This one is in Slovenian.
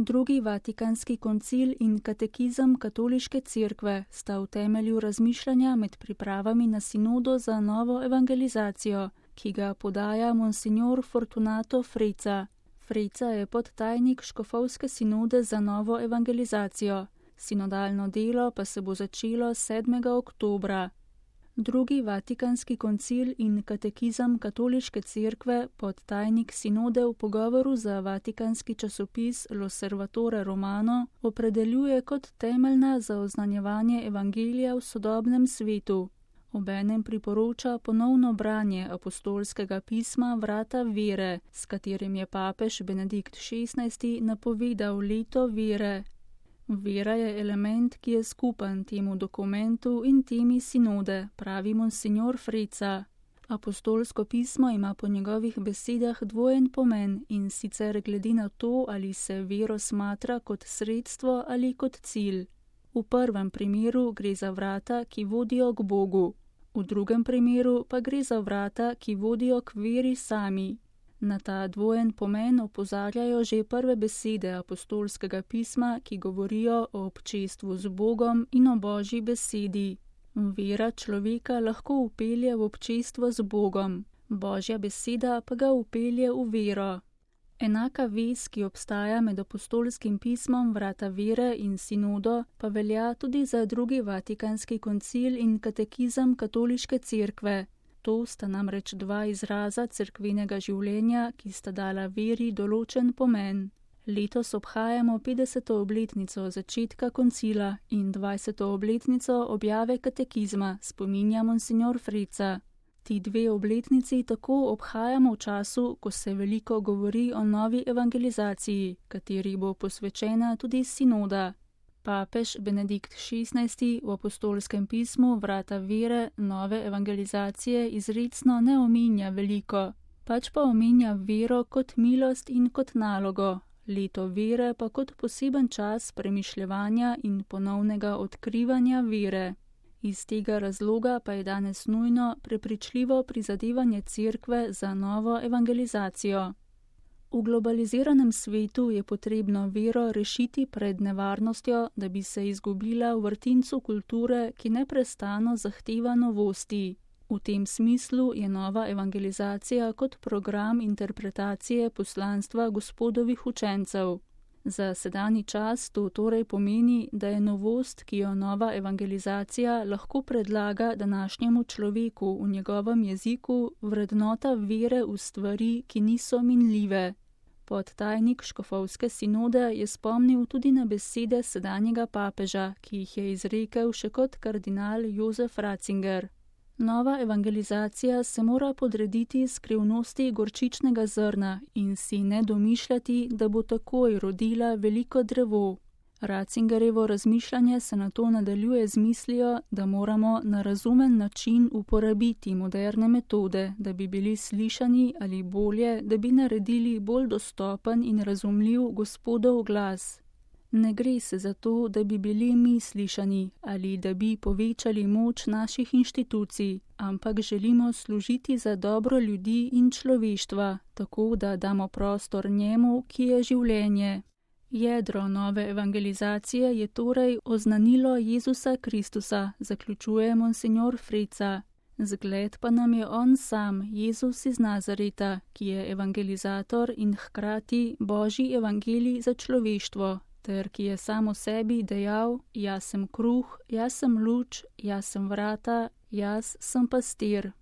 Drugi Vatikanski koncil in katekizem Katoliške cerkve sta v temelju razmišljanja med pripravami na sinodo za novo evangelizacijo, ki ga podaja monsignor Fortunato Freca. Freca je podtajnik škofovske sinode za novo evangelizacijo. Sinodalno delo pa se bo začelo 7. oktobra. Drugi Vatikanski koncil in katekizem Katoliške cerkve, podtajnik sinode v pogovoru za vatikanski časopis L'Osservatore Romano, opredeljuje kot temeljna za oznanjevanje evangelija v sodobnem svetu. Obenem priporoča ponovno branje apostolskega pisma Vrata vere, s katerim je papež Benedikt XVI napovedal leto vere. Vera je element, ki je skupen temu dokumentu in temi sinode, pravi monsignor Freca. Apostolsko pismo ima po njegovih besedah dvojen pomen, in sicer glede na to, ali se vero smatra kot sredstvo ali kot cilj. V prvem primeru gre za vrata, ki vodijo k Bogu. V drugem primeru pa gre za vrata, ki vodijo k veri sami. Na ta dvojen pomen opozarjajo že prve besede apostolskega pisma, ki govorijo o občestvu z Bogom in o Božji besedi. Vera človeka lahko vpelje v občestvo z Bogom, Božja beseda pa ga vpelje v vero. Enaka vez, ki obstaja med apostolskim pismom Vrata vere in sinodo, pa velja tudi za drugi Vatikanski koncil in katekizem Katoliške cerkve. To sta namreč dva izraza cerkvenega življenja, ki sta dala veri določen pomen. Letos obhajamo 50. obletnico začetka koncila in 20. obletnico objave katekizma, spominja monsignor Freca. Ti dve obletnici tako obhajamo v času, ko se veliko govori o novi evangelizaciji, kateri bo posvečena tudi sinoda. Papež Benedikt XVI v apostolskem pismu Vrata vere nove evangelizacije izrecno ne omenja veliko, pač pa omenja vero kot milost in kot nalogo, leto vere pa kot poseben čas premišljevanja in ponovnega odkrivanja vere. Iz tega razloga pa je danes nujno prepričljivo prizadevanje cerkve za novo evangelizacijo. V globaliziranem svetu je potrebno vero rešiti pred nevarnostjo, da bi se izgubila v vrtincu kulture, ki neprestano zahteva novosti. V tem smislu je nova evangelizacija kot program interpretacije poslanstva Gospodovih učencev. Za sedanji čas to torej pomeni, da je novost, ki jo nova evangelizacija lahko predlaga današnjemu človeku v njegovem jeziku, vrednota vere v stvari, ki niso minljive. Podtajnik škofovske sinode je spomnil tudi na besede sedanjega papeža, ki jih je izrekel še kot kardinal Jozef Ratzinger. Nova evangelizacija se mora podrediti skrivnosti gorčičnega zrna in si ne domišljati, da bo takoj rodila veliko drevo. Ratzingerjevo razmišljanje se na to nadaljuje z mislijo, da moramo na razumen način uporabiti moderne metode, da bi bili slišani ali bolje, da bi naredili bolj dostopen in razumljiv Gospodov glas. Ne gre se za to, da bi bili mi slišani ali da bi povečali moč naših inštitucij, ampak želimo služiti za dobro ljudi in človeštva, tako da damo prostor njemu, ki je življenje. Jedro nove evangelizacije je torej oznanilo Jezusa Kristusa, zaključuje monsignor Freca. Zgled pa nam je on sam, Jezus iz Nazareta, ki je evangelizator in hkrati Božji evangelij za človeštvo, ter ki je sam o sebi dejal: jaz sem kruh, jaz sem luč, jaz sem vrata, jaz sem pastir.